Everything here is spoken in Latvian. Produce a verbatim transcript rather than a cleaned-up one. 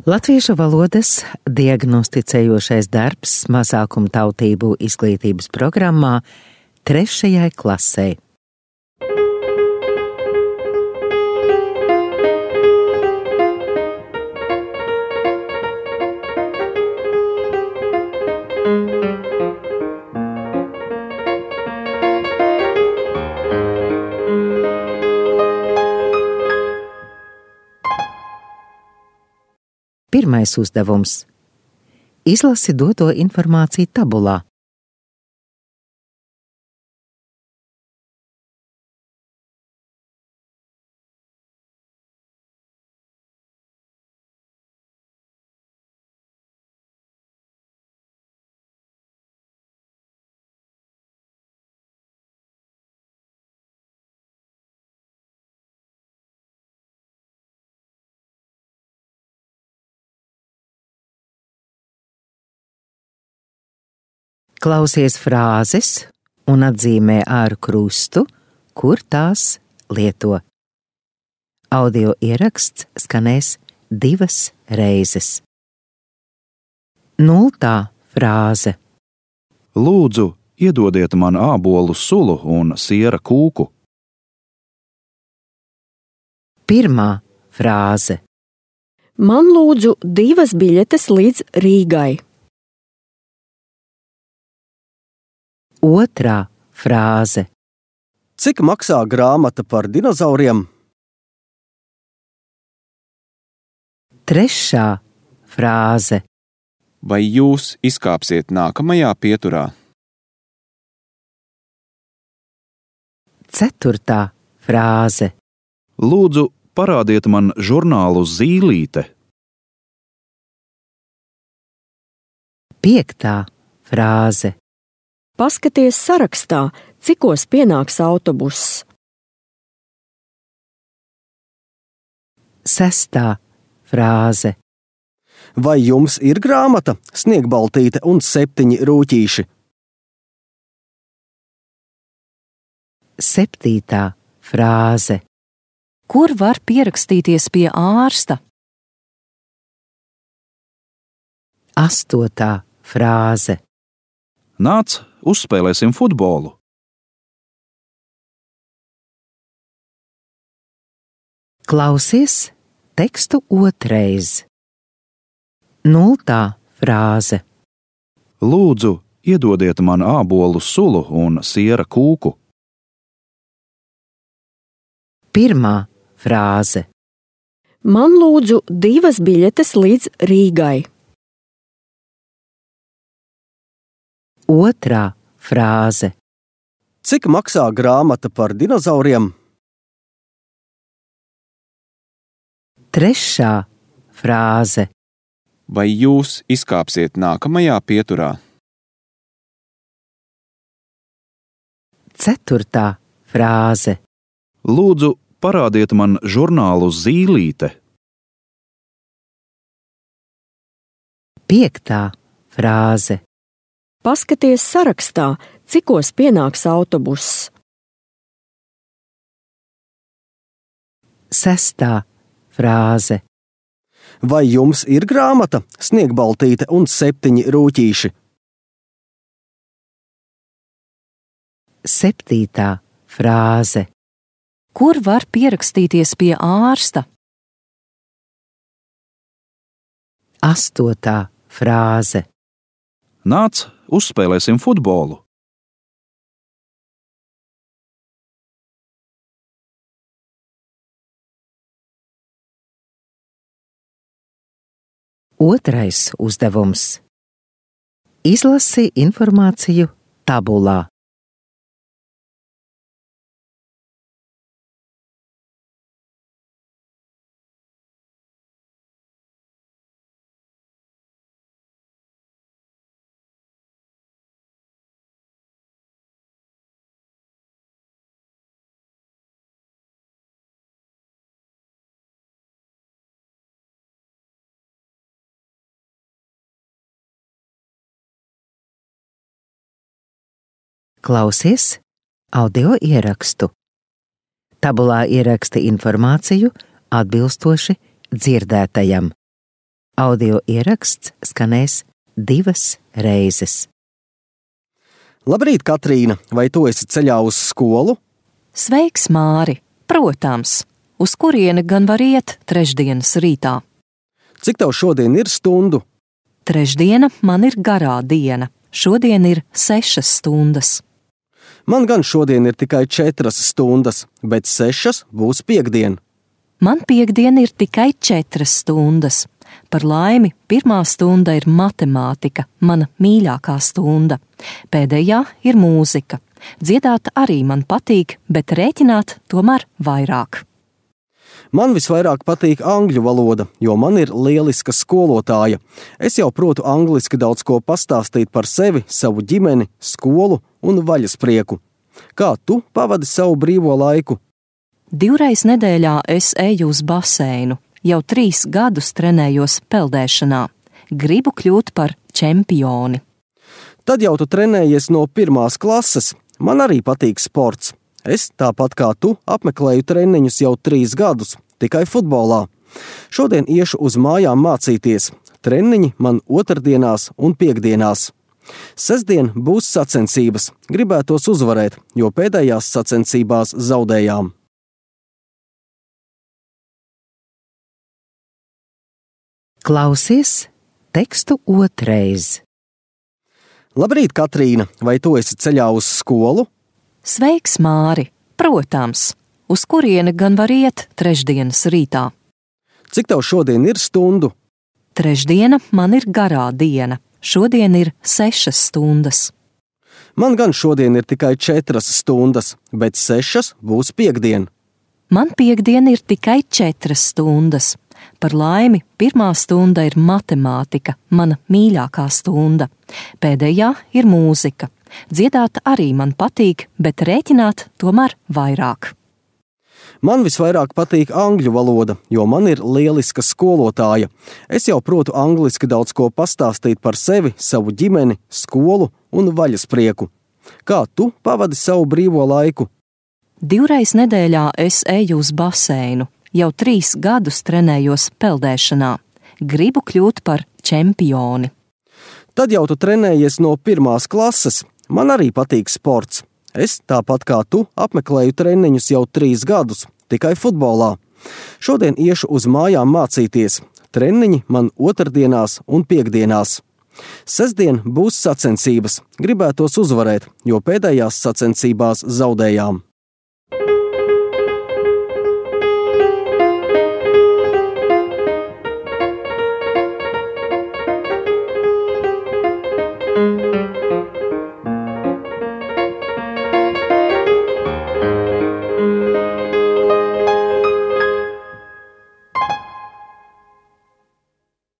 Latviešu valodas diagnosticējošais darbs mazākumtautību izglītības programmā trešajai klasei. Pirmais uzdevums. Izlasi doto informāciju tabulā. Klausies frāzes un atzīmē ar krustu, kur tās lieto. Audio ieraksts skanēs divas reizes. Nultā frāze. Lūdzu, iedodiet man ābolu sulu un siera kūku. Pirmā frāze. Man lūdzu divas biļetes līdz Rīgai. Otrā frāze. Cik maksā grāmata par dinozauriem? Trešā frāze. Vai jūs izkāpsiet nākamajā pieturā? Ceturtā frāze. Lūdzu, parādiet man žurnālu Zīlīte. Piektā frāze. Paskaties sarakstā, cikos pienāks autobuss. Sestā frāze. Vai jums ir grāmata, Sniegbaltīte un septiņi rūķīši? Septītā frāze. Kur var pierakstīties pie ārsta? Astotā frāze. Nāc, uzspēlēsim futbolu. Klausies tekstu otrais. Nultā frāze. Lūdzu, iedodiet man ābolu sulu un siera kūku. Pirmā frāze. Man lūdzu divas biļetes līdz Rīgai. Otrā frāze. Cik maksā grāmata par dinozauriem? Trešā frāze. Vai jūs izkāpsiet nākamajā pieturā? Ceturtā frāze. Lūdzu, parādiet man žurnālu Zīlīte. Piektā frāze. Paskaties sarakstā, cikos pienāks autobuss. Sestā frāze. Vai jums ir grāmata, Sniegbaltīte un septiņi rūķīši? Septītā frāze. Kur var pierakstīties pie ārsta? Astotā frāze. Nāc, uzspēlēsim futbolu. Otrais uzdevums. Izlasi informāciju tabulā. Klausies audio ierakstu. Tabulā ieraksti informāciju atbilstoši dzirdētajam. Audio ieraksts skanēs divas reizes. Labrīt, Katrīna! Vai tu esi ceļā uz skolu? Sveiks, Māri! Protams! Uz kurieni gan var iet trešdienas rītā? Cik tev šodien ir stundu? Trešdiena man ir garā diena. Šodien ir sešas stundas. Man gan šodien ir tikai četras stundas, bet sešas būs piektdien. Man piektdiena ir tikai četras stundas. Par laimi, pirmā stunda ir matemātika, mana mīļākā stunda. Pēdējā ir mūzika. Dziedāt arī man patīk, bet rēķināt tomēr vairāk. Man visvairāk patīk angļu valoda, jo man ir lieliska skolotāja. Es jau protu angliski daudz ko pastāstīt par sevi, savu ģimeni, skolu un vaļasprieku. Kā tu pavadi savu brīvo laiku? Divreiz nedēļā es eju uz baseinu. Jau trīs gadus trenējos peldēšanā. Gribu kļūt par čempioni. Tad jau tu trenējies no pirmās klases. Man arī patīk sports. Es, tāpat kā tu, apmeklēju treniņus jau trīs gadus, tikai futbolā. Šodien iešu uz mājām mācīties. Treniņi man otrdienās un piektdienās. Sestdien būs sacensības. Gribētos uzvarēt, jo pēdējās sacensībās zaudējām. Klausies tekstu otrais. Labrīt, Katrīna! Vai tu esi ceļā uz skolu? Sveiks, Māri! Protams! Uz kurieni gan var iet trešdienas rītā? Cik tev šodien ir stundu? Trešdiena man ir garā diena. Šodien ir sešas stundas. Man gan šodien ir tikai četras stundas, bet sešas būs piektdien. Man piektdiena ir tikai četras stundas. Par laimi, pirmā stunda ir matemātika, mana mīļākā stunda. Pēdējā ir mūzika. Dziedāt arī man patīk, bet rēķināt tomēr vairāk. Man visvairāk patīk angļu valoda, jo man ir lieliska skolotāja. Es jau protu angliski daudz ko pastāstīt par sevi, savu ģimeni, skolu un vaļasprieku. Kā tu pavadi savu brīvo laiku? Divreiz nedēļā es eju uz baseinu. Jau trīs gadus trenējos peldēšanā. Gribu kļūt par čempioni. Tad jau tu trenējies no pirmās klases. Man arī patīk sports. Es, tāpat kā tu, apmeklēju treniņus jau trīs gadus, tikai futbolā. Šodien iešu uz mājām mācīties. Treniņi man otrdienās un piektdienās. Sestdien būs sacensības. Gribētos uzvarēt, jo pēdējās sacensībās zaudējām. Thank you.